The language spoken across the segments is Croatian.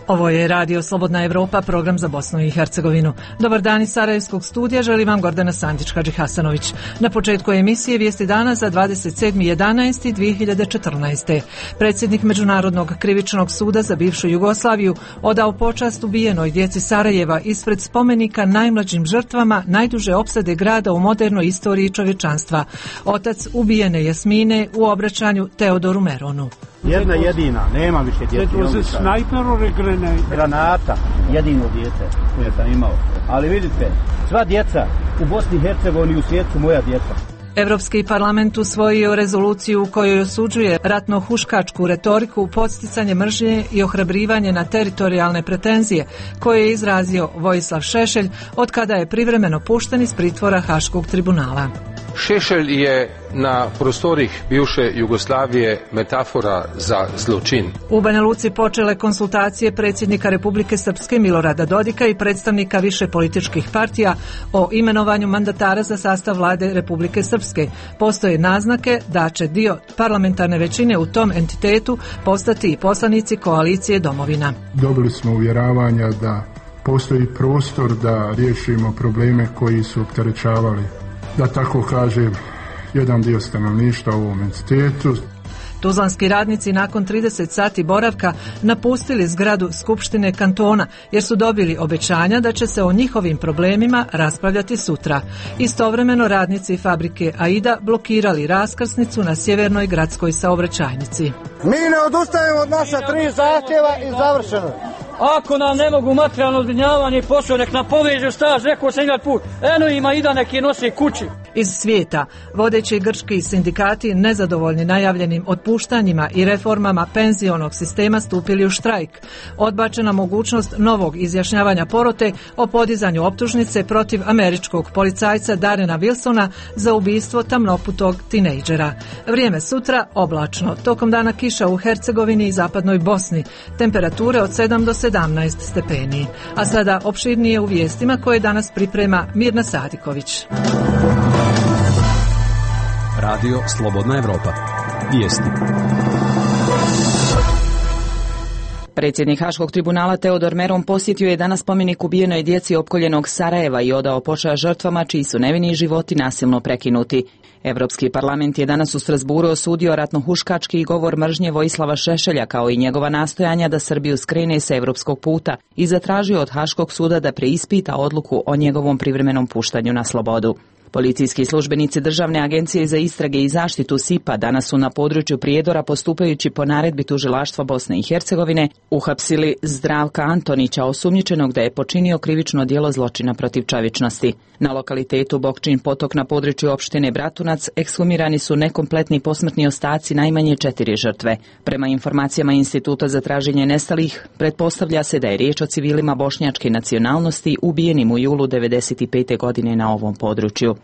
Ovo je Radio Slobodna Evropa, program za Bosnu i Hercegovinu. Dobar dan iz Sarajevskog studija, želi vam Gordana Sandić-Hadži Hasanović. Na početku emisije vijesti dana za 27.11.2014. Predsjednik Međunarodnog krivičnog suda za bivšu Jugoslaviju odao počast ubijenoj djeci Sarajeva ispred spomenika najmlađim žrtvama najduže opsade grada u modernoj istoriji čovječanstva. Otac ubijene Jasmine u obraćanju Teodoru Meronu. Jedna jedina, nema više djece. Granata, jedino dijete koje sam imao. Ali vidite, sva djeca u Bosni i Hercegovini u svijetu su moja djeca. Evropski parlament usvojio rezoluciju u kojoj osuđuje ratno-huškačku retoriku, podsticanje mržnje i ohrabrivanje na teritorijalne pretenzije koje je izrazio Vojislav Šešelj od kada je privremeno pušten iz pritvora Haškog tribunala. Šešelj je na prostorih bivše Jugoslavije metafora za zločin. U Banja Luci počele konsultacije predsjednika Republike Srpske Milorada Dodika i predstavnika više političkih partija o imenovanju mandatara za sastav vlade Republike Srpske. Postoje naznake da će dio parlamentarne većine u tom entitetu postati i poslanici koalicije Domovina. Dobili smo uvjeravanja da postoji prostor da riješimo probleme koji su opterećavali, da tako kažem, jedan dio stanovništva u ovom entitetu. Tuzlanski radnici nakon 30 sati boravka napustili zgradu Skupštine kantona jer su dobili obećanja da će se o njihovim problemima raspravljati sutra. Istovremeno radnici fabrike Aida blokirali raskrsnicu na sjevernoj gradskoj saobraćajnici. Mi ne odustajemo od naša 3 zahtjeva i završeno. Ako nam ne mogu materijalno zbrinjavanje i posao, nek nam povežu staž, rekao sam jedan put, eno ima Ida neki nosi kući. Iz svijeta, vodeći grčki sindikati nezadovoljni najavljenim otpuštanjima i reformama penzionog sistema stupili u štrajk. Odbačena mogućnost novog izjašnjavanja porote o podizanju optužnice protiv američkog policajca Darrena Wilsona za ubistvo tamnoputog tinejdžera. Vrijeme sutra oblačno, tokom dana kiša u Hercegovini i zapadnoj Bosni, temperature od 7 do 17 stepeni. A sada opširnije u vijestima koje danas priprema Mirna Sadiković. Radio Slobodna Evropa. Vijesti. Predsjednik Haškog tribunala Teodor Meron posjetio je danas spomenik ubijenoj djeci opkoljenog Sarajeva i odao počast žrtvama čiji su nevini životi nasilno prekinuti. Evropski parlament je danas u Strasburu osudio ratno-huškački govor mržnje Vojislava Šešelja kao i njegova nastojanja da Srbiju skrene sa evropskog puta i zatražio od Haškog suda da preispita odluku o njegovom privremenom puštanju na slobodu. Policijski službenici Državne agencije za istrage i zaštitu SIP-a danas su na području Prijedora, postupajući po naredbi tužilaštva Bosne i Hercegovine, uhapsili Zdravka Antonića, osumnjičenog da je počinio krivično djelo zločina protiv čovječnosti. Na lokalitetu Bokčin potok na području opštine Bratunac ekshumirani su nekompletni posmrtni ostaci najmanje 4 žrtve. Prema informacijama Instituta za traženje nestalih, pretpostavlja se da je riječ o civilima bošnjačke nacionalnosti ubijenim u julu 1995. godine na ovom području.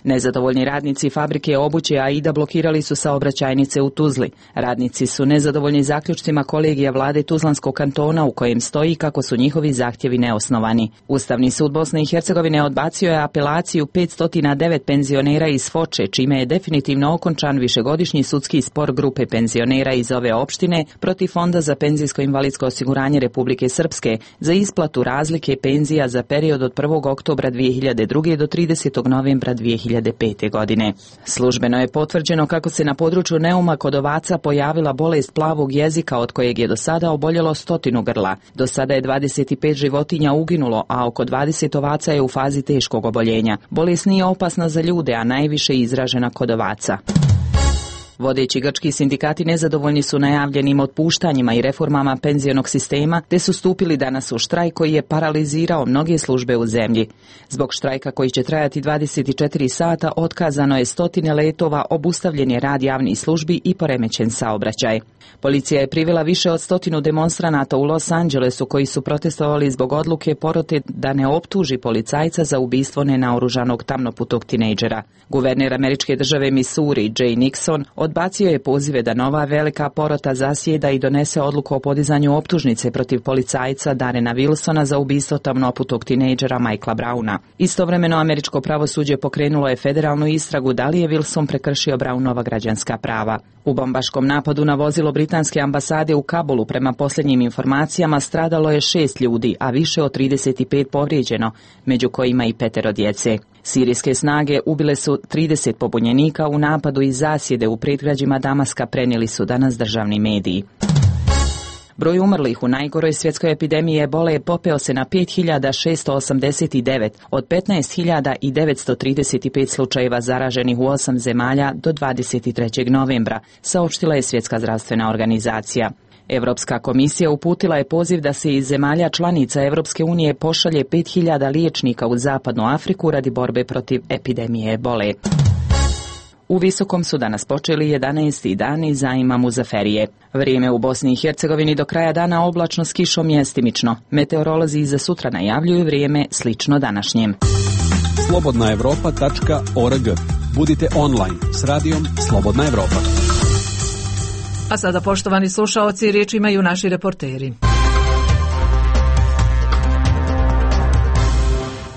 Nezadovoljni radnici fabrike obuće Aida blokirali su saobraćajnice u Tuzli. Radnici su nezadovoljni zaključcima kolegija vlade Tuzlanskog kantona u kojem stoji kako su njihovi zahtjevi neosnovani. Ustavni sud Bosne i Hercegovine odbacio je apelaciju 509 penzionera iz Foče, čime je definitivno okončan višegodišnji sudski spor grupe penzionera iz ove opštine protiv Fonda za penzijsko-invalidsko osiguranje Republike Srpske za isplatu razlike penzija za period od 1. oktobra 2002. do 30. novembra 2005. godine. Službeno je potvrđeno kako se na području Neuma kod ovaca pojavila bolest plavog jezika od kojeg je do sada oboljelo 100 grla. Do sada je 25 životinja uginulo, a oko 20 ovaca je u fazi teškog oboljenja. Bolest nije opasna za ljude, a najviše je izražena kod ovaca. Vodeći grčki sindikati nezadovoljni su najavljenim otpuštanjima i reformama penzionog sistema, te su stupili danas u štrajk koji je paralizirao mnoge službe u zemlji. Zbog štrajka koji će trajati 24 sata otkazano je 100 letova, obustavljen je rad javnih službi i poremećen saobraćaj. Policija je privela više od 100 demonstranata u Los Angelesu koji su protestovali zbog odluke porote da ne optuži policajca za ubistvo nenaoružanog tamnoputog tinejdžera. Guverner američke države Missouri, Jay Nixon, odbacio je pozive da nova velika porota zasjeda i donese odluku o podizanju optužnice protiv policajca Darrena Wilsona za ubistvo tamnoputog tinejdžera Michaela Browna. Istovremeno američko pravosuđe pokrenulo je federalnu istragu da li je Wilson prekršio Brownova građanska prava. U bombaškom napadu na vozilo britanske ambasade u Kabulu prema posljednjim informacijama stradalo je 6 ljudi, a više od 35 povrijeđeno, među kojima i 5 djece. Sirijske snage ubile su 30 pobunjenika u napadu iz zasjede u predgrađima Damaska, prenijeli su danas državni mediji. Broj umrlih u najgoroj svjetskoj epidemiji ebole popeo se na 5.689 od 15.935 slučajeva zaraženih u 8 zemalja do 23. novembra, saopštila je Svjetska zdravstvena organizacija. Europska komisija uputila je poziv da se iz zemalja članica Europske unije pošalje 5.000 liječnika u zapadnu Afriku radi borbe protiv epidemije ebole. U Visokom su danas počeli 11. dani zajma Muzaferije. Vrijeme u Bosni i Hercegovini do kraja dana oblačno s kišom mjestimično. Meteorolozi za sutra najavljuju vrijeme slično današnjem. slobodnaevropa.org. Budite online s radijom Slobodna Evropa. A sada, poštovani slušaoci, riječ imaju naši reporteri.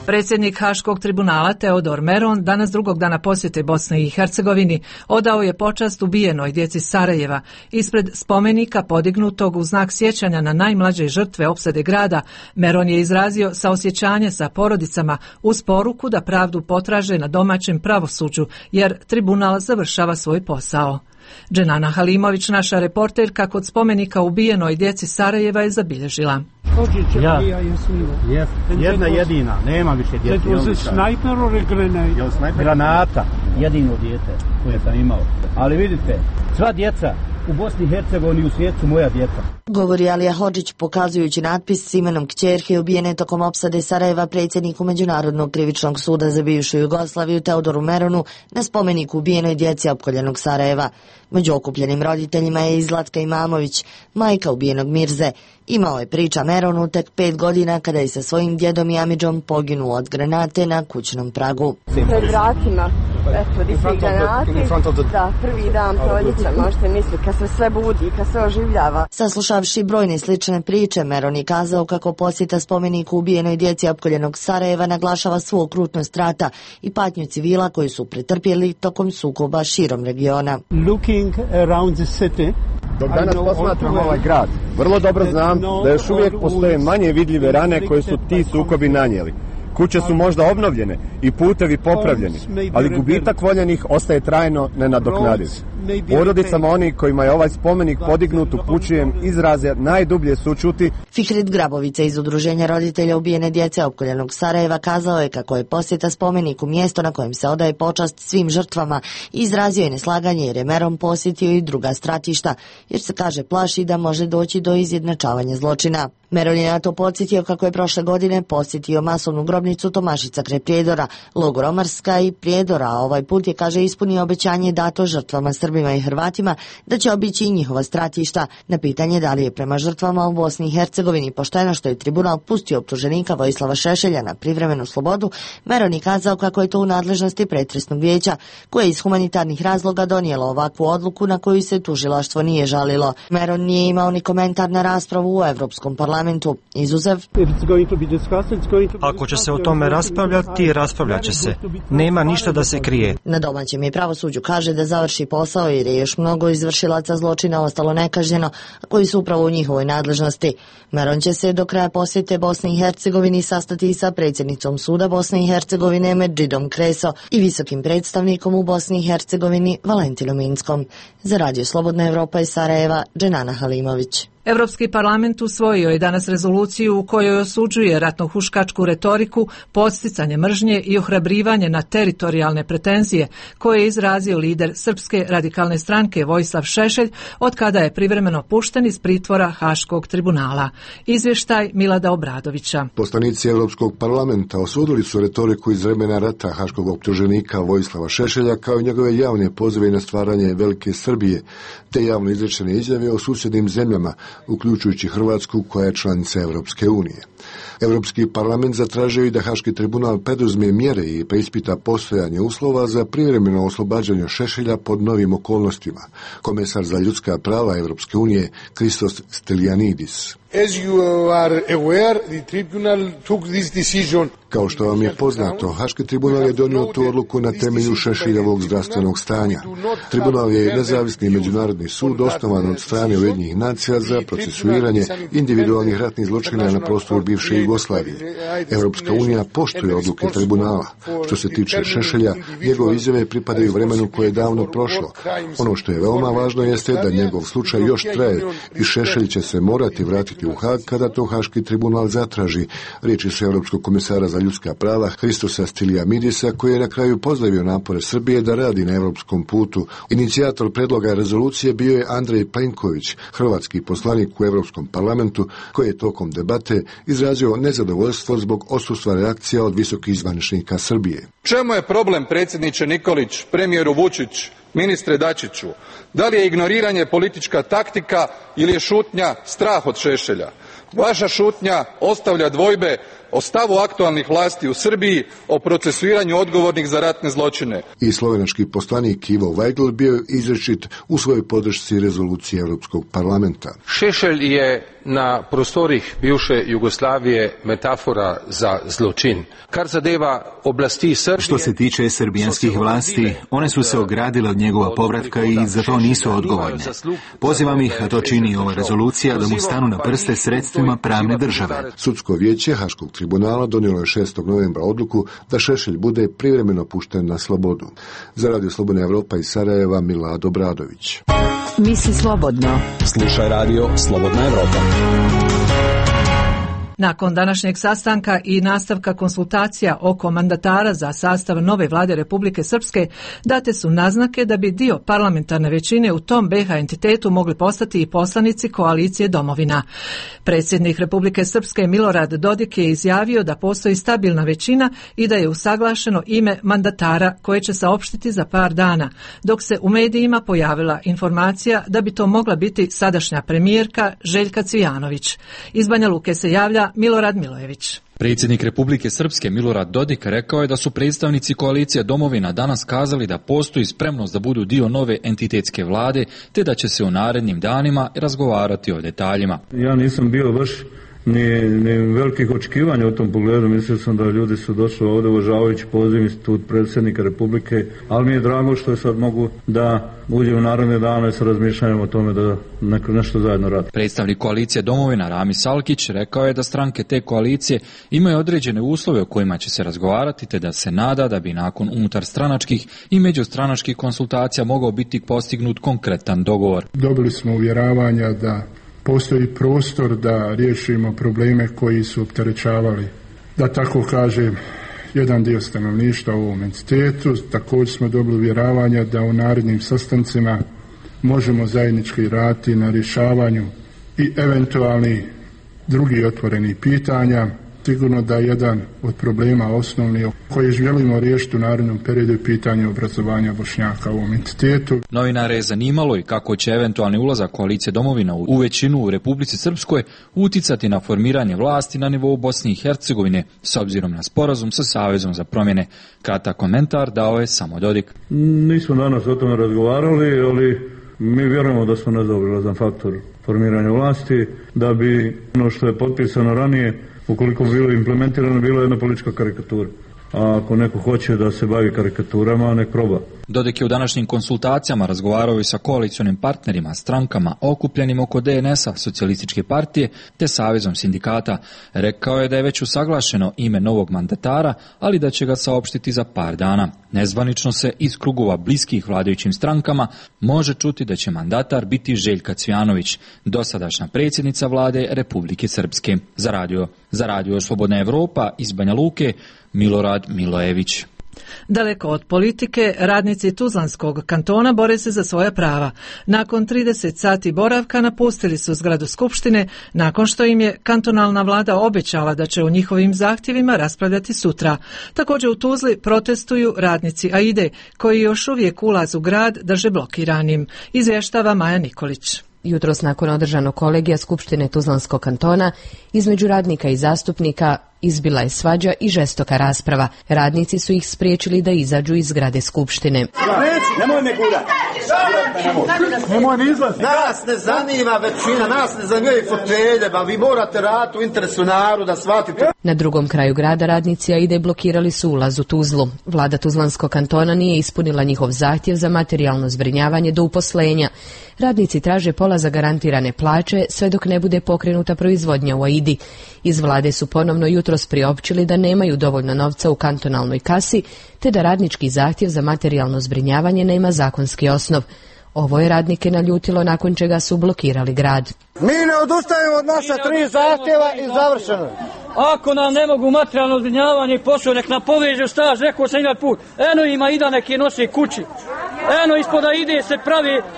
Predsjednik Haškog tribunala Teodor Meron danas drugog dana posjete Bosne i Hercegovini odao je počast ubijenoj djeci Sarajeva ispred spomenika podignutog u znak sjećanja na najmlađe žrtve opsade grada. Meron je izrazio saosjećanje sa porodicama uz poruku da pravdu potraže na domaćem pravosuđu jer tribunal završava svoj posao. Dženana Halimović, naša reporterka, kod spomenika ubijenoj djeci Sarajeva je zabilježila. Jedna jedina, nema više djeci. Granata, jedino dijete koje sam imao. Ali vidite, sva djeca u Bosni i Hercegovini i u svijetu su moja djeca. Govori Alija Hodžić pokazujući natpis s imenom kćerke ubijene tokom opsade Sarajeva predsjedniku Međunarodnog krivičnog suda za bivšu Jugoslaviju Teodoru Meronu na spomeniku ubijenoj djeci opkoljenog Sarajeva. Među okupljenim roditeljima je i Zlatka Imamović, majka ubijenog Mirze. Imao je, priča Meronu, tek 5 godina kada je sa svojim djedom i amidžom poginuo od granate na kućnom pragu. Pred vratima, eto, di svi granati, da, prvi dan proljeća, možete misliti, kad se sve budi, kad se oživljava. Saslušavši brojne slične priče, Meron je kazao kako posjeta spomeniku ubijenoj djeci opkoljenog Sarajeva naglašava svu okrutnost rata i patnju civila koji su pretrpjeli tokom sukoba širom regiona. Looking around the city, dok danas posmatram ovaj grad, vrlo dobro znam da još uvijek postoje manje vidljive rane koje su ti sukobi nanijeli. Kuće su možda obnovljene i putevi popravljeni, ali gubitak voljenih ostaje trajno nenadoknadiv. Porodicama onih kojima je ovaj spomenik podignut upućujem izraze najdublje sućuti. Fihrid Grabovica iz Udruženja roditelja ubijene djece opkoljenog Sarajeva kazao je kako je posjeta spomeniku mjesto na kojem se odaje počast svim žrtvama i izrazio je neslaganje jer je Meron posjetio i druga stratišta, jer se, kaže, plaši da može doći do izjednačavanja zločina. Meron je na to podsjetio kako je prošle godine posjetio masovnu grobnicu Tomašica kraj Prijedora, logor Omarska i Prijedora, a ovaj put je, kaže, ispunio obećanje dato žrtvama Srbima i Hrvatima da će obići i njihova stratišta. Na pitanje da li je prema žrtvama u Bosni i Hercegovini pošteno što je tribunal pustio optuženika Vojislava Šešelja na privremenu slobodu, Meron je kazao kako je to u nadležnosti pretresnog vijeća, koje je iz humanitarnih razloga donijelo ovakvu odluku na koju se tužilaštvo nije žalilo. Meron nije imao ni komentar na raspravu u Evropskom parlamentu. Izuzev, ako će se o tome raspravljati, raspravljat će se. Nema ništa da se krije. Na domaćem je pravosuđu, kaže, da završi posao jer je još mnogo izvršilaca zločina ostalo nekažnjeno, koji su upravo u njihovoj nadležnosti. Meron će se do kraja posjete Bosni i Hercegovini sastati sa predsjednicom suda Bosne i Hercegovine Medžidom Kreso i visokim predstavnikom u Bosni i Hercegovini Valentinom Inskom. Za Radio Slobodna Evropa iz Sarajeva, Dženana Halimović. Europski parlament usvojio je danas rezoluciju u kojoj osuđuje ratnohuškačku retoriku, podsticanje mržnje i ohrabrivanje na teritorijalne pretenzije koje je izrazio lider Srpske radikalne stranke Vojislav Šešelj od kada je privremeno pušten iz pritvora Haškog tribunala. Izvještaj Milada Obradovića. Poslanici Europskog parlamenta osudili su retoriku iz vremena rata haškog optuženika Vojislava Šešelja kao i njegove javne pozive na stvaranje Velike Srbije, te javno izrečene izjave o susjednim zemljama uključujući Hrvatsku koja je članica Europske unije. Europski parlament zatražio i da Haški tribunal preduzme mjere i preispita postojanje uslova za privremeno oslobađanje Šešelja pod novim okolnostima. Komesar za ljudska prava Europske unije Christos Stylianidis. As you are aware, the tribunal took this decision. Kao što vam je poznato, Haški tribunal je donio tu odluku na temelju Šešeljevog zdravstvenog stanja. Tribunal je nezavisni međunarodni sud osnovan od strane Ujedinjenih nacija za procesuiranje individualnih ratnih zločina na prostoru bivše Jugoslavije. Europska unija poštuje odluke tribunala. Što se tiče Šešelja, njegove izjave pripadaju vremenu koje je davno prošlo. Ono što je veoma važno jeste da njegov slučaj još traje i Šešelj će se morati vratiti u Hag kada to Haški tribunal zatraži. Riječi su Europskog komesara za ljudska prava Christosa Stylianidisa, koji je na kraju pozdravio napore Srbije da radi na europskom putu. Inicijator predloga rezolucije bio je Andrej Plenković, hrvatski poslanik u Europskom parlamentu, koji je tokom debate izrazio nezadovoljstvo zbog odsustva reakcija od visokih zvaničnika Srbije. Čemu je problem, predsjedniče Nikolić, premijeru Vučić, ministre Dačiću? Da li je ignoriranje politička taktika ili je šutnja strah od Šešelja? Vaša šutnja ostavlja dvojbe o stavu aktualnih vlasti u Srbiji, o procesuiranju odgovornih za ratne zločine. I slovenački poslanik Ivo Weigl bio izričit u svojoj podršci rezolucije Europskog parlamenta. Šešelj je na prostorih bivše Jugoslavije metafora za zločin. Kar zadeva oblasti Srbije... Što se tiče srbijanskih vlasti, one su se ogradile od njegova povratka i za to nisu odgovorne. Pozivam ih, a to čini ova rezolucija, da mu stanu na prste sredstvima pravne države. Sudsko vijeće Haškog tribunala donijelo je 6. novembra odluku da Šešelj bude privremeno pušten na slobodu. Za Radio Slobodna Evropa iz Sarajeva, Milad Obradović. Misli slobodno. Slušaj Radio Slobodna Evropa. Nakon današnjeg sastanka i nastavka konsultacija oko mandatara za sastav nove vlade Republike Srpske, date su naznake da bi dio parlamentarne većine u tom BiH entitetu mogli postati i poslanici koalicije Domovina. Predsjednik Republike Srpske Milorad Dodik je izjavio da postoji stabilna većina i da je usaglašeno ime mandatara koje će saopštiti za par dana, dok se u medijima pojavila informacija da bi to mogla biti sadašnja premijerka Željka Cvijanović. Iz Banja Luke se javlja Milorad Milojević. Predsjednik Republike Srpske Milorad Dodik rekao je da su predstavnici koalicije Domovina danas kazali da postoji spremnost da budu dio nove entitetske vlade, te da će se u narednim danima razgovarati o detaljima. Ja nisam bio baš ni velikih očekivanja u tom pogledu. Mislio sam da ljudi su došli ovdje uvažavajući poziv institut predsjednika Republike, ali mi je drago što sad mogu da uđem u naredne dane sa razmišljanjem o tome da nešto zajedno radi. Predstavnik koalicije Domovina Rami Salkić rekao je da stranke te koalicije imaju određene uslove o kojima će se razgovarati, te da se nada da bi nakon unutar stranačkih i međustranačkih konsultacija mogao biti postignut konkretan dogovor. Dobili smo uvjeravanja da postoji prostor da riješimo probleme koji su opterećavali, da tako kažem, jedan dio stanovništva u ovom entitetu. Također smo dobili uvjeravanja da u narednim sastancima možemo zajednički raditi na rješavanju i eventualni drugi otvoreni pitanja. Sigurno da jedan od problema osnovni koji želimo riješiti u narednom periodu je pitanje obrazovanja Bošnjaka u ovom entitetu. Novinare je zanimalo i kako će eventualni ulazak koalicije Domovina u većinu u Republici Srpskoj uticati na formiranje vlasti na nivou Bosne i Hercegovine s obzirom na sporazum sa Savezom za promjene. Kratak komentar dao je samo Dodik. Nismo danas o tome razgovarali, ali mi vjerujemo da smo nezaobilazan faktor formiranja vlasti, da bi ono što je potpisano ranije, ukoliko bi bilo implementirano, bilo jedna politička karikatura. A ako neko hoće da se bavi karikaturama, nek proba. Dodik je u današnjim konsultacijama razgovarao i sa koalicionim partnerima, strankama okupljenim oko DNS-a, Socijalističke partije, te Savezom sindikata. Rekao je da je već usaglašeno ime novog mandatara, ali da će ga saopštiti za par dana. Nezvanično se iz krugova bliskih vladajućim strankama može čuti da će mandatar biti Željka Cvijanović, dosadašnja predsjednica vlade Republike Srpske. Za radio Slobodna Evropa iz Banja Luke, Milorad Milojević. Daleko od politike, radnici Tuzlanskog kantona bore se za svoja prava. Nakon 30 sati boravka napustili su zgradu Skupštine, nakon što im je kantonalna vlada obećala da će o njihovim zahtjevima raspravljati sutra. Također u Tuzli protestuju radnici AIDE, koji još uvijek ulaz u grad drže blokiranim, izvještava Maja Nikolić. Jutros nakon održanog kolegija Skupštine Tuzlanskog kantona između radnika i zastupnika izbila je svađa i žestoka rasprava. Radnici su ih spriječili da izađu iz zgrade Skupštine. Nemoj me gurati. Nemoj ni izlaziti. Nas ne zanima većina, nas ne zanimaju fotelje, ba vi morate raditi u interesu naroda, shvatite. Na drugom kraju grada radnici AIDA blokirali su ulaz u Tuzlu. Vlada Tuzlanskog kantona nije ispunila njihov zahtjev za materijalno zbrinjavanje do uposlenja. Radnici traže pola zagarantirane plaće sve dok ne bude pokrenuta proizvodnja u AIDI. Iz vlade su ponovno jutros priopćili da nemaju dovoljno novca u kantonalnoj kasi, te da radnički zahtjev za materijalno zbrinjavanje nema zakonski osnov. Ovo je radnike naljutilo, nakon čega su blokirali grad. Mi ne odustajemo od naša 3 zahtjeva i završeno. Ako nam ne mogu materijalno zbrinjavanje i posao, nek nam povežu staž, rekao sam jedan put. Eno ima ida neki nosi kući. Eno ispoda ide se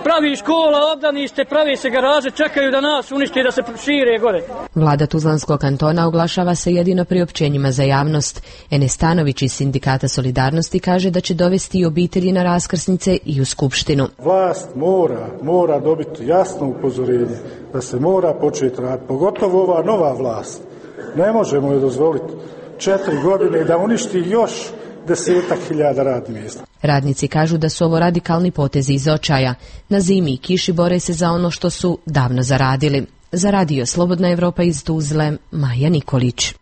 pravi škola, obdanište, pravi se garaže, čekaju da nas unište, da se šire gore. Vlada Tuzlanskog kantona oglašava se jedino priopćenjima za javnost. Enes Stanović iz Sindikata Solidarnosti kaže da će dovesti i obitelji na raskrsnice i u Skupštinu. Vlast mora dobiti jasno upozorenje da se mora početi raditi, pogotovo ova nova vlast. Ne možemo joj dozvoliti 4 godine da uništi još 10.000 radnih mjesta. Radnici kažu da su ovo radikalni potezi iz očaja. Na zimi i kiši bore se za ono što su davno zaradili. Za radio Slobodna Evropa iz Tuzle, Maja Nikolić.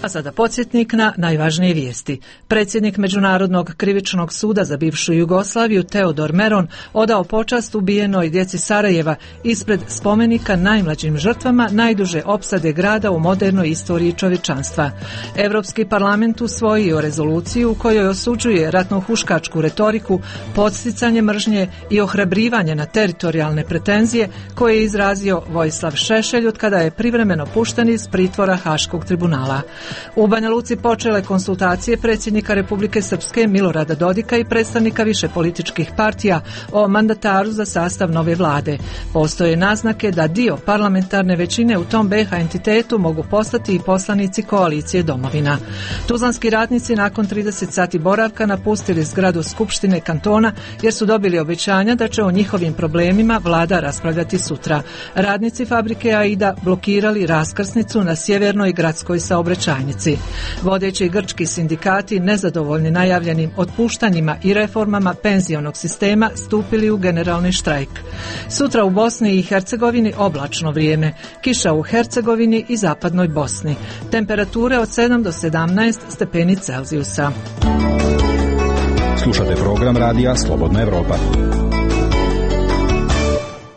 A sada podsjetnik na najvažnije vijesti. Predsjednik Međunarodnog krivičnog suda za bivšu Jugoslaviju Teodor Meron odao počast ubijenoj djeci Sarajeva ispred spomenika najmlađim žrtvama najduže opsade grada u modernoj istoriji čovječanstva. Europski parlament usvojio rezoluciju u kojoj osuđuje ratno-huškačku retoriku, podsticanje mržnje i ohrabrivanje na teritorijalne pretenzije koje je izrazio Vojislav Šešelj od kada je privremeno pušten iz pritvora Haškog tribunala. U Banja Luci počele konsultacije predsjednika Republike Srpske Milorada Dodika i predstavnika više političkih partija o mandataru za sastav nove vlade. Postoje naznake da dio parlamentarne većine u tom BiH entitetu mogu postati i poslanici koalicije Domovina. Tuzlanski radnici nakon 30 sati boravka napustili zgradu Skupštine kantona jer su dobili obećanja da će o njihovim problemima vlada raspravljati sutra. Radnici fabrike AIDA blokirali raskrsnicu na sjevernoj gradskoj saobraćajnici. Vodeći grčki sindikati nezadovoljni najavljenim otpuštanjima i reformama penzionog sistema stupili u generalni štrajk. Sutra u Bosni i Hercegovini oblačno vrijeme, kiša u Hercegovini i zapadnoj Bosni. Temperature od 7 do 17 stepeni Celzijusa. Slušate program radija Slobodna Evropa.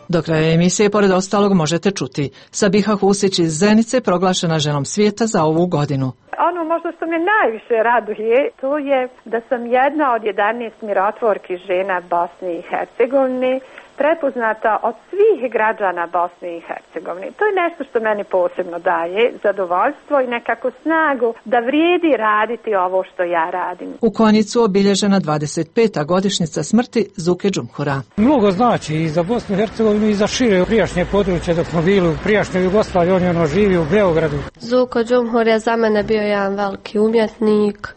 Do kraja emisije, pored ostalog, možete čuti: Sabiha Husić iz Zenice proglašena ženom svijeta za ovu godinu. Ono možda što me najviše raduje, to je da sam jedna od 11 mirotvorki žena Bosne i Hercegovine, prepoznata od svih građana Bosne i Hercegovine. To je nešto što meni posebno daje zadovoljstvo i nekako snagu da vrijedi raditi ovo što ja radim. U Konjicu obilježena 25. godišnjica smrti Zuke Džumhura. Mnogo znači i za Bosnu i Hercegovinu i za šire prijašnje područje dok smo bili u prijašnjoj Jugoslaviji, on je živi u Beogradu. Zuko Džumhur je za mene bio jedan veliki umjetnik.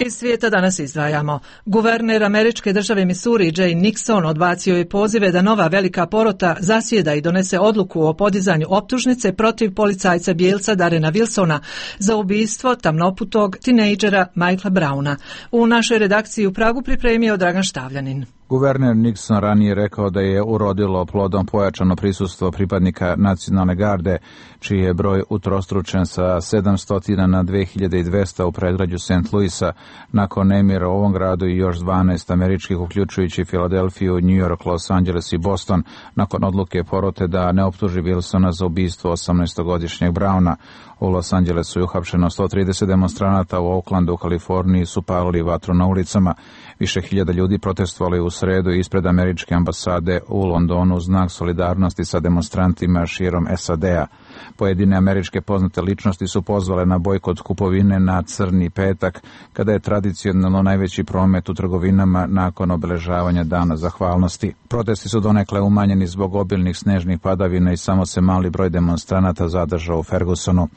Iz svijeta danas izdvajamo. Guverner američke države Missouri Jay Nixon odbacio je pozive da nova velika porota zasjeda i donese odluku o podizanju optužnice protiv policajca bijelca Darrena Wilsona za ubistvo tamnoputog tinejdžera Michaela Browna. U našoj redakciji u Pragu pripremio Dragan Štavljanin. Guverner Nixon ranije rekao da je urodilo plodom pojačano prisustvo pripadnika nacionalne garde, čiji je broj utrostručen sa 700 na 2200 u predgrađu St. Louisa, nakon nemira u ovom gradu i još 12 američkih, uključujući Filadelfiju, New York, Los Angeles i Boston, nakon odluke porote da ne optuži Wilsona za ubistvo 18-godišnjeg Browna. U Los Angelesu je uhapšeno 130 demonstranata, u Oaklandu u Kaliforniji su palili vatru na ulicama. Više hiljada ljudi protestovali u sredu ispred američke ambasade u Londonu u znak solidarnosti sa demonstrantima širom SAD-a. Pojedine američke poznate ličnosti su pozvale na bojkot kupovine na Crni petak, kada je tradicionalno najveći promet u trgovinama nakon obeležavanja Dana zahvalnosti. Protesti su donekle umanjeni zbog obilnih snežnih padavina i samo se mali broj demonstranata zadržao u Fergusonu.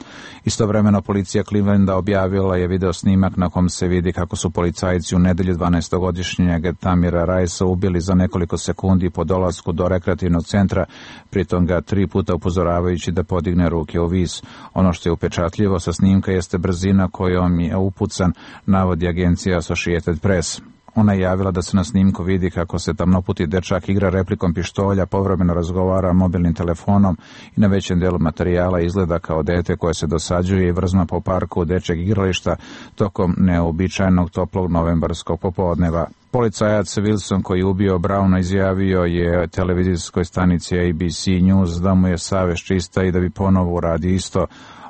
Istovremeno policija Clevelanda objavila je video snimak na kom se vidi kako su policajci u nedelju 12-godišnjeg Tamira Rajsa ubili za nekoliko sekundi po dolasku do rekreativnog centra, pritom ga 3 puta upozoravajući da podigne ruke u vis. Ono što je upečatljivo sa snimka jeste brzina kojom je upucan, navodi agencija Associated Press. Ona je javila da se na snimku vidi kako se tamnoputi dečak igra replikom pištolja, povremeno razgovara mobilnim telefonom i na većem delu materijala izgleda kao dete koje se dosađuje i vrzma po parku dečjeg igrališta tokom neobičajnog toplog novembarskog popodneva. Policajac Wilson koji je ubio Browna izjavio je televizijskoj stanici ABC News da mu je savest čista i da bi ponovo uradio isto.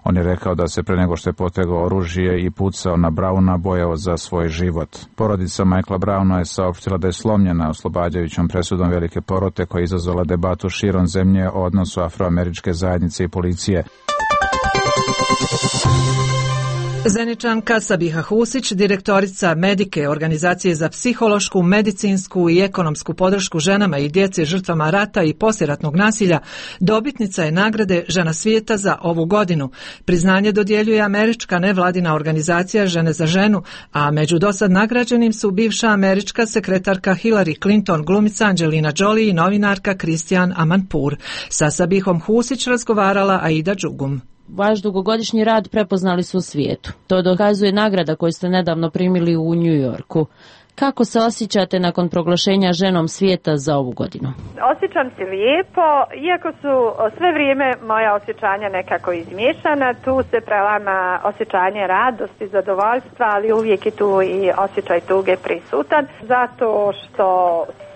On je rekao da se pre nego što je potegao oružje i pucao na Browna bojao za svoj život. Porodica Michaela Browna je saopštila da je slomljena oslobađajućom presudom velike porote koja je izazvala debatu širom zemlje o odnosu afroameričke zajednice i policije. Zeničanka Sabiha Husić, direktorica Medike, organizacije za psihološku, medicinsku i ekonomsku podršku ženama i djeci žrtvama rata i poslijeratnog nasilja, dobitnica je nagrade Žena svijeta za ovu godinu. Priznanje dodjeljuje američka nevladina organizacija Žene za ženu, a među dosad nagrađenim su bivša američka sekretarka Hillary Clinton, glumica Angelina Jolie i novinarka Christiane Amanpour. Sa Sabihom Husić razgovarala Aida Đugum. Vaš dugogodišnji rad prepoznali su u svijetu. To dokazuje nagrada koju ste nedavno primili u New Yorku. Kako se osjećate nakon proglašenja ženom svijeta za ovu godinu? Osjećam se lijepo, iako su sve vrijeme moja osjećanja nekako izmiješana. Tu se prelama osjećanje radosti, zadovoljstva, ali uvijek je tu i osjećaj tuge prisutan. Zato što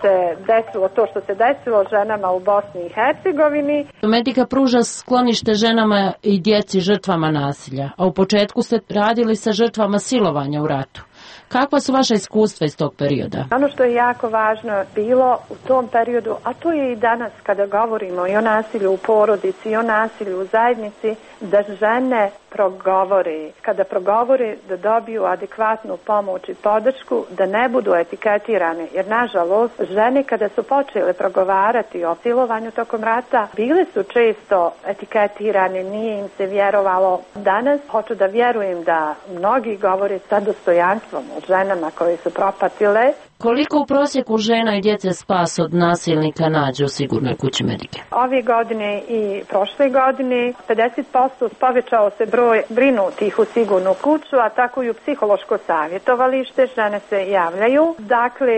se desilo to što se desilo ženama u Bosni i Hercegovini. Medika pruža sklonište ženama i djeci žrtvama nasilja, a u početku ste radili sa žrtvama silovanja u ratu. Kakva su vaša iskustva iz tog perioda? Ono što je jako važno bilo u tom periodu, a to je i danas kada govorimo i o nasilju u porodici i o nasilju u zajednici, da žene progovore. Kada progovore, da dobiju adekvatnu pomoć i podršku, da ne budu etiketirane. Jer nažalost, žene kada su počele progovarati o silovanju tokom rata, bile su često etiketirane, nije im se vjerovalo. Danas hoću da vjerujem da mnogi govore sa dostojanstvom o ženama koje su propatile. Koliko u prosjeku žena i djece spas od nasilnika nađe u sigurnoj kući Medike? Ove godine i prošle godine 50% povećao se broj brinutih u sigurnu kuću, a tako i u psihološko savjetovalište. Žene se javljaju. Dakle,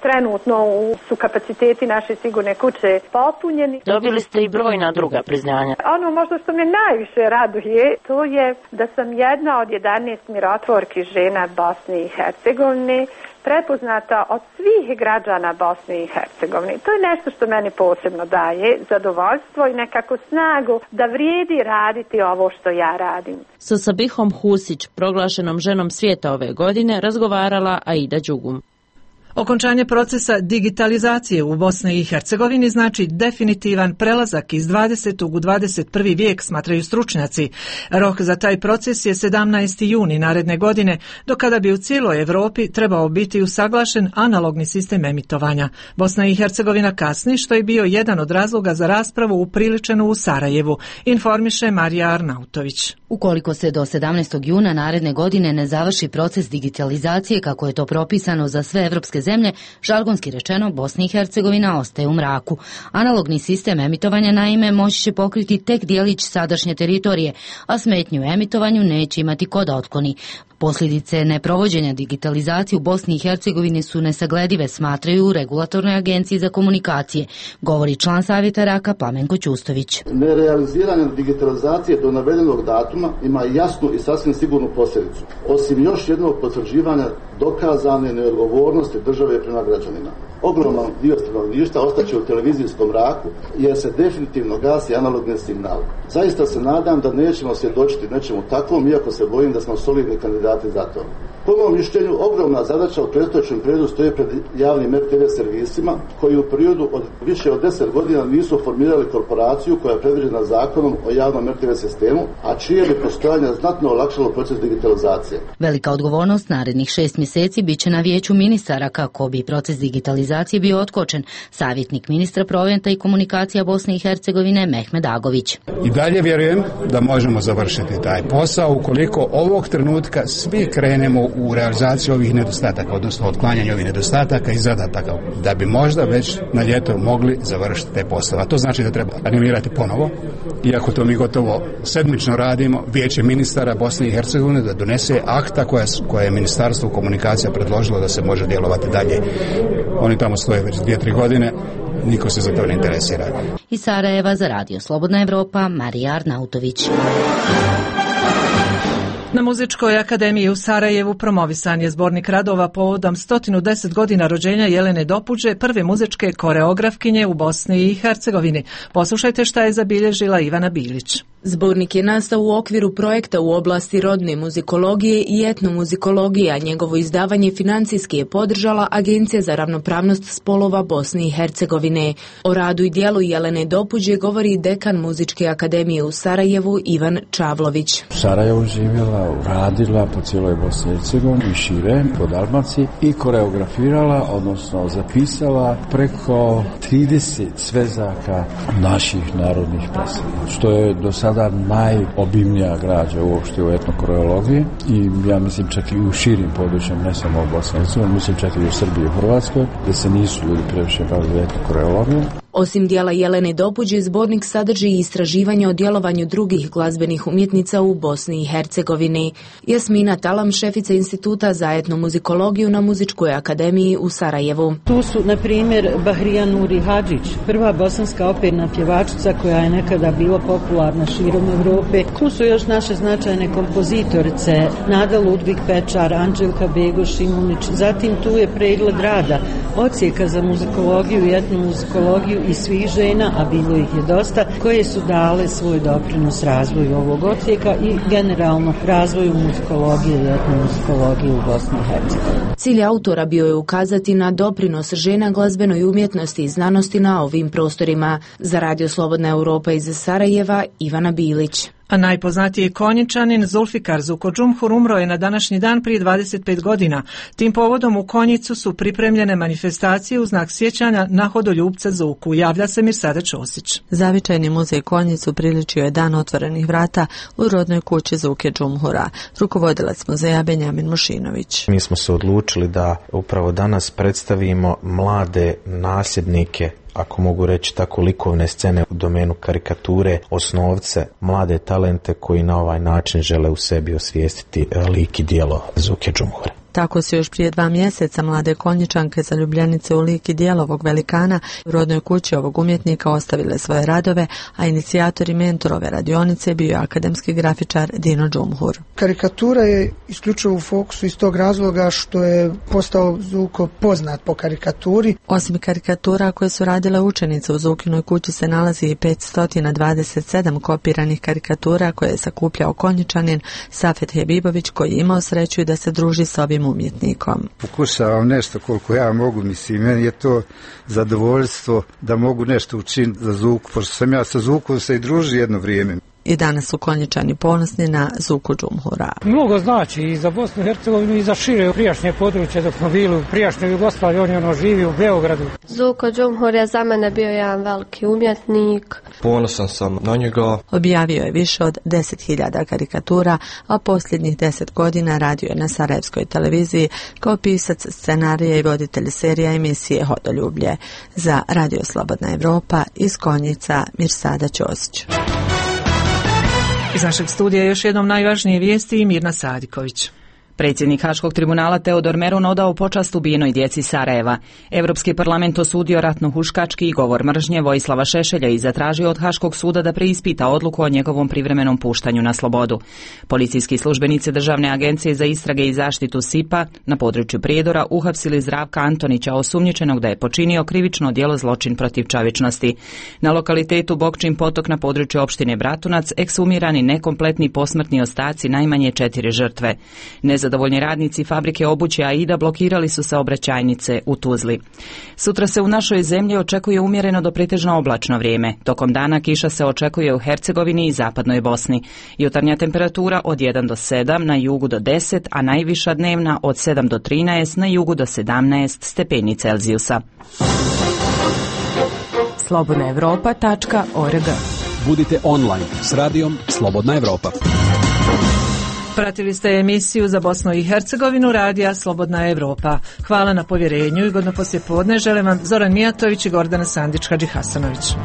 trenutno su kapaciteti naše sigurne kuće popunjeni. Dobili ste i brojna druga priznanja. Ono možda što me najviše raduje, to je da sam jedna od 11 mirotvorki žena Bosne i Hercegovine, prepoznata od svih građana Bosne i Hercegovine. To je nešto što meni posebno daje zadovoljstvo i nekako snagu da vrijedi raditi ovo što ja radim. Sa Sabihom Husić, proglašenom ženom svijeta ove godine, razgovarala Aida Đugum. Okončanje procesa digitalizacije u Bosni i Hercegovini znači definitivan prelazak iz 20. u 21. vijek, smatraju stručnjaci. Rok za taj proces je 17. juni naredne godine, do kada bi u cijeloj Europi trebao biti usaglašen analogni sistem emitovanja. Bosna i Hercegovina kasni, što je bio jedan od razloga za raspravu upriličenu u Sarajevu, informiše Marija Arnautović. Ukoliko se do 17. juna naredne godine ne završi proces digitalizacije kako je to propisano za sve evropske zemlje, žargonski rečeno Bosna i Hercegovina ostaje u mraku. Analogni sistem emitovanja naime moći će pokriti tek dijelić sadašnje teritorije, a smetnju u emitovanju neće imati ko da otkloni. Posljedice neprovođenja digitalizacije u Bosni i Hercegovini su nesagledive, smatraju u Regulatornoj agenciji za komunikacije, govori član savjeta RAKA Plamenko Ćustović. Nerealiziranje digitalizacije do navedenog datuma ima jasnu i sasvim sigurnu posljedicu, osim još jednog potvrđivanja dokazane neodgovornosti države prema građanima. Ogroman dio stanovništva ostaće u televizijskom mraku jer se definitivno gasi analogni signal. Zaista se nadam da nećemo svjedočiti nečemu takvom, iako se bojim da smo solidni kandidati za to. Po mom mišljenju, ogromna zadaća u predstojećem periodu stoje pred javnim RTV servisima koji u periodu od više od 10 godina nisu formirali korporaciju koja je predviđena zakonom o javnom RTV sistemu, a čije bi postojanje znatno olakšalo proces digitalizacije. Velika odgovornost narednih 6 mjeseci bit će na vijeću ministara kako bi proces digitalizacije bio otkočen. Savjetnik ministra Proventa i komunikacija Bosne i Hercegovine Mehmed Agović. I dalje vjerujem da možemo završiti taj posao ukoliko ovog trenutka svi krenemo u realizaciju ovih nedostataka, odnosno otklanjanje ovih nedostataka i zadataka, da bi možda već na ljeto mogli završiti te poslove. A to znači da treba animirati ponovo, iako to mi gotovo sedmično radimo, vijeće ministara Bosne i Hercegovine da donese akta koje je ministarstvo komunikacija predložilo da se može djelovati dalje. Oni tamo stoje već 2-3 godine, niko se za to ne interesira. Iz Sarajeva za Radio Slobodna Evropa, Marija Arnautović. Na Muzičkoj akademiji u Sarajevu promovisan je zbornik radova povodom 110 godina rođenja Jelene Dopuđe, prve muzičke koreografkinje u Bosni i Hercegovini. Poslušajte šta je zabilježila Ivana Bilić. Zbornik je nastao u okviru projekta u oblasti rodne muzikologije i etnomuzikologije, a njegovo izdavanje financijski je podržala Agencija za ravnopravnost spolova Bosne i Hercegovine. O radu i dijelu Jelene Dopuđe govori dekan Muzičke akademije u Sarajevu Ivan Čavlović. U Sarajevu živjela, radila po cijeloj Bosni i Hercegovini i šire, po Dalmaciji i koreografirala, odnosno zapisala preko 30 svezaka naših narodnih pesama, što je do sada najobimnija građa uopšte u etnokoreologiji i ja mislim čak i u širim područjem, ne samo u Bosni i Hercegovini, mislim čak i u Srbiji i u Hrvatskoj, gdje se nisu ljudi previše bavili etnokoreologijom. Osim dijela Jelene Dopuđe, zbornik sadrži i istraživanje o djelovanju drugih glazbenih umjetnica u Bosni i Hercegovini. Jasmina Talam, šefica Instituta za etnomuzikologiju na Muzičkoj akademiji u Sarajevu. Tu su, na primjer, Bahrija Nuri Hadžić, prva bosanska operna pjevačica koja je nekada bila popularna širom Europe. Tu su još naše značajne kompozitorice, Nada Ludvig Pečar, Anđelka Begoš Šimunić. Zatim tu je pregled rada odsjeka za muzikologiju i etnomuzikologiju i svih žena, a bilo ih je dosta, koje su dale svoj doprinos razvoju ovog odsjeka i generalno razvoju muzikologije i etnomuzikologije u Bosni i Hercegovini. Cilj autora bio je ukazati na doprinos žena glazbenoj umjetnosti i znanosti na ovim prostorima. Za Radio Slobodna Europa iz Sarajeva, Ivana Bilić. A najpoznatiji Konjičanin Zulfikar Zukodžumhur umro je na današnji dan prije 25 godina. Tim povodom u Konjicu su pripremljene manifestacije u znak sjećanja na hodoljupca Zuku. Javlja se Mirsada Ćosić. Zavičajni muzej Konjicu priličio je dan otvorenih vrata u rodnoj kući Zuke Džumhura. Rukovodilac muzeja Benjamin Mušinović. Mi smo se odlučili da upravo danas predstavimo mlade nasljednike, ako mogu reći tako, likovne scene u domenu karikature, osnovce, mlade talente koji na ovaj način žele u sebi osvijestiti lik i djelo Zuke Džumhura. Tako su još prije 2 mjeseca mlade Konjičanke zaljubljenice u lik i djelo ovog velikana u rodnoj kući ovog umjetnika ostavile svoje radove, a inicijator i mentor ove radionice bio je akademski grafičar Dino Džumhur. Karikatura je isključivo u fokusu iz tog razloga što je postao Zuko poznat po karikaturi. Osim karikatura koje su radile učenice, u Zukinoj kući se nalazi i 527 kopiranih karikatura koje je sakupljao Konjičanin Safet Hebibović, koji je imao sreću da se druži s ovim umjetnikom. Pokušavam nešto koliko ja mogu, mislim, meni je to zadovoljstvo da mogu nešto učiniti za Zuku, pošto sam ja sa Zukom se i družio jedno vrijeme. I danas su Konjičani ponosni na Zuku Džumhura. Mnogo znači i za Bosnu i Hercegovinu i za šire prijašnje područje dok smo bili u prijašnjoj Jugoslaviji, on je živi u Beogradu. Zuko Džumhur je za mene bio jedan veliki umjetnik. Ponosan sam na njega. Objavio je više od 10.000 karikatura, a posljednjih 10 godina radio je na Sarajevskoj televiziji kao pisac scenarija i voditelj serija emisije Hodoljublje. Za Radio Slobodna Evropa iz Konjica, Mirsada Ćosić. Iz našeg studija još jednom najvažnije vijesti i Mirna Sadiković. Predsjednik Haškog tribunala Teodor Meron odao počast ubijenoj djeci Sarajeva. Europski parlament osudio ratno-huškački govor mržnje Vojislava Šešelja i zatražio od Haškog suda da preispita odluku o njegovom privremenom puštanju na slobodu. Policijski službenici Državne agencije za istrage i zaštitu SIPA na području Prijedora uhapsili Zdravka Antonića, osumnjičenog da je počinio krivično djelo zločin protiv čovječnosti. Na lokalitetu Bokčin potok na području opštine Bratunac eksumirani nekompletni posmrtni ostaci najmanje 4 žrtve. Nezadovoljni radnici fabrike obuće Aida blokirali su saobraćajnice u Tuzli. Sutra se u našoj zemlji očekuje umjereno do pretežno oblačno vrijeme. Tokom dana kiša se očekuje u Hercegovini i zapadnoj Bosni. Jutarnja temperatura od 1 do 7, na jugu do 10, a najviša dnevna od 7 do 13, na jugu do 17 stepeni Celzijusa. slobodnaevropa.org. Budite online s radijom Slobodna Evropa. Pratili ste emisiju za Bosnu i Hercegovinu radija Slobodna Evropa. Hvala na povjerenju i godno poslijepodne žele vam Zoran Mijatović i Gordana Sandić-Hadžihasanović.